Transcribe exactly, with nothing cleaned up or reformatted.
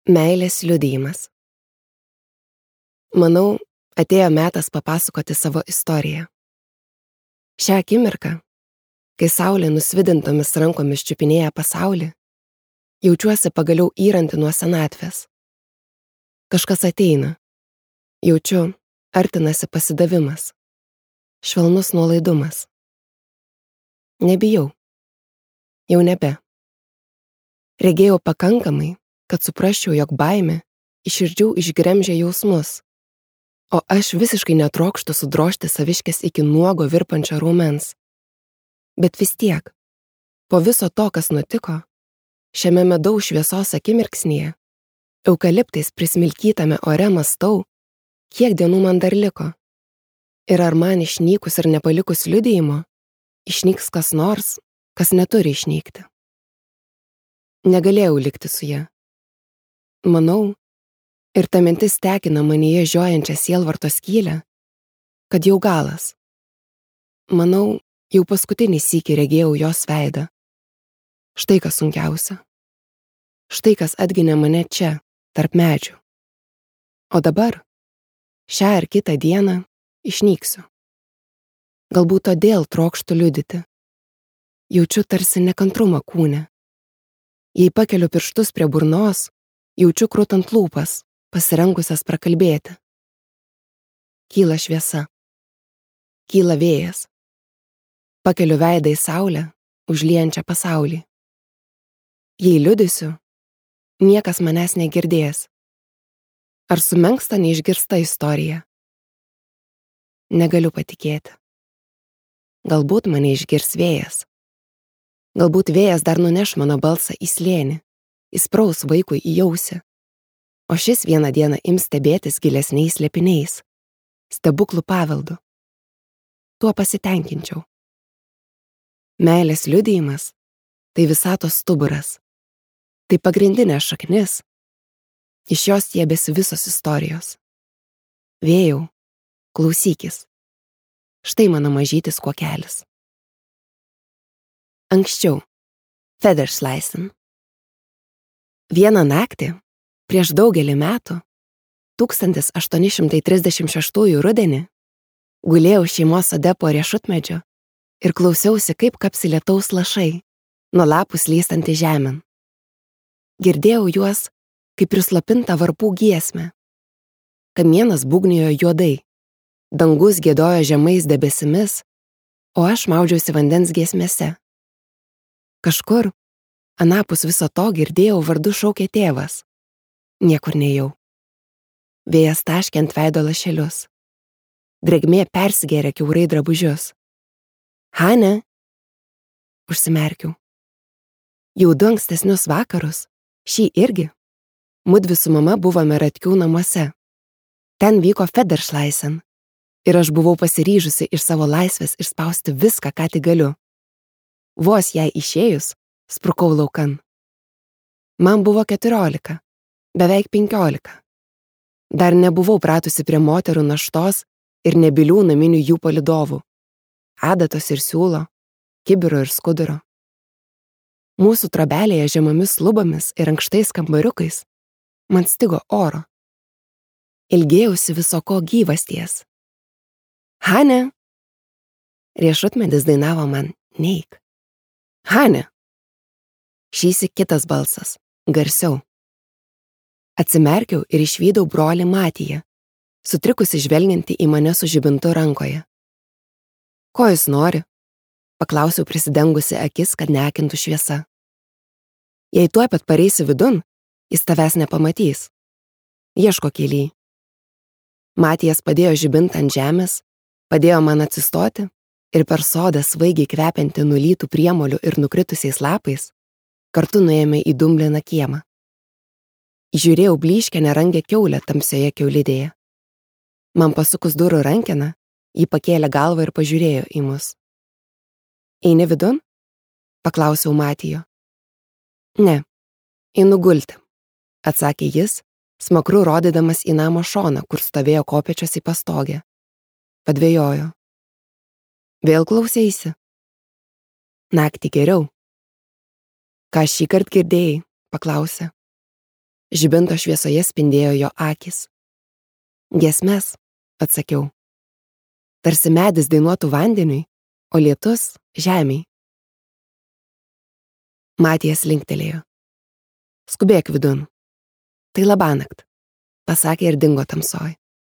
Meilės liudijimas. Manau, atėjo metas papasakoti savo istoriją. Šią akimirką, kai saulė nusvidintomis rankomis čiupinėja pasaulį, jaučiuosi pagaliau įranti nuo senatvės. Kažkas ateina. Jaučiu, artinasi pasidavimas. Švelnus nuolaidumas. Nebijau. Jau nebe. Regėjau pakankamai, kad suprasčiau, jog baimė iš širdžių išgremžia jausmus, o aš visiškai netrokštu sudrožti saviškės iki nuogo virpančio raumens. Bet vis tiek, po viso to, kas nutiko, šiame medaus šviesos akimirksnyje, eukaliptais prismilkytame ore mąstau, kiek dienų man dar liko. Ir ar man išnykus ir nepalikus liudijimo, išnyks kas nors, kas neturi išnykti. Negalėjau likti su ja. Manau, ir ta mintis tekina manyje žiojančią sielvarto skylę, kad jau galas. Manau, jau paskutinį sykį regėjau jos veidą. Štai kas sunkiausia. Štai kas atginė mane čia, tarp medžių. O dabar, šią ar kitą dieną, išnyksiu. Galbūt todėl trokštu liudyti. Jaučiu tarsi nekantrumą kūne. Jei pakeliu pirštus prie burnos, jaučiu krutant lūpas, pasirengusias prakalbėti. Kyla šviesa. Kyla vėjas. Pakeliu veidą į saulę, užliejančią pasaulį. Jei liudysiu, niekas manęs negirdės. Ar sumenksta neišgirsta istorija? Negaliu patikėti. Galbūt mane išgirs vėjas. Galbūt vėjas dar nuneš mano balsą į slėnį, įspraus vaikui į ausį, o šis vieną dieną ims stebėtis gilesniais slėpiniais, stebuklų paveldu. Tuo pasitenkinčiau. Meilės liudijimas – tai visatos stuburas, tai pagrindinė šaknis, iš jos stiebėsi visos istorijos. Vėjau, klausykis, štai mano mažytis kuokelis. Anksčiau, Federschleißen. Vieną naktį, prieš daugelį metų, tūkstantis aštuoni šimtai trisdešimt šeštųjų rudenį, gulėjau šeimos sode po riešutmedžiu ir klausiausi, kaip kapsi lietaus lašai, nuo lapų slystantį žemėn. Girdėjau juos, kaip prislopinta varpų giesmę. Kamienas būgnijo juodai, dangus giedojo žemais debesimis, o aš maudžiausi vandens giesmėse. Kažkur, anapus viso to girdėjau vardu šaukė tėvas. Niekur nejau. Vėjas taškė ant veido lašelius. Drėgmė persigėrė kiaurai drabužius. Hane? Užsimerkiau. Jau du ankstesnius vakarus, šį irgi, mudvi su mama buvome Ratkių namuose. Ten vyko Federschleißen ir aš buvau pasiryžusi iš savo laisvės išspausti viską, ką tik galiu. Vos jai išėjus, sprukau laukan. Man buvo keturiolika, beveik penkiolika. Dar nebuvau pratusi prie moterų naštos ir nebylių naminių jų palydovų, adatos ir siūlo, kibiro ir skuduro. Mūsų trobelėje žemomis lubomis ir ankštais kambariukais man stigo oro. Ilgėjausi visoko gyvasties. Hane! Riešutmedis dainavo man neik. Hane! Šįsyk kitas balsas, garsiau. Atsimerkiau ir išvydau brolį Matiją, sutrikusi žvelgiantį į mane su žibintu rankoje. Ko jis nori? Paklausiau prisidengusi akis, kad neakintų šviesa. Jei tuoj pat pareisi vidun, jis tavęs nepamatys. Ieško kelyj. Matijas padėjo žibintą ant žemės, padėjo man atsistoti ir per sodą svaigiai kvepiantį nulytų priemolių ir nukritusiais lapais, kartu nuėjome į dumbliną kiemą. Žiūrėjau blyškę nerangę kiaulę tamsioje kiaulidėje. Man pasukus durų rankeną, ji pakėlė galvą ir pažiūrėjo į mus. Eini vidun? Paklausiau Matijo. Ne, einu gulti, atsakė jis, smakru rodydamas į namo šoną, kur stovėjo kopėčios į pastogę. Padvejojo. Vėl klauseisi? Naktį geriau. Ką šįkart girdėjai? Paklausė. Žibinto šviesoje spindėjo jo akys. Giesmes, atsakiau. Tarsi medis dainuotų vandeniui, o lietus žemiai. Matijas linktelėjo. Skubėk vidun. Tai labanakt, pasakė ir dingo tamsoj.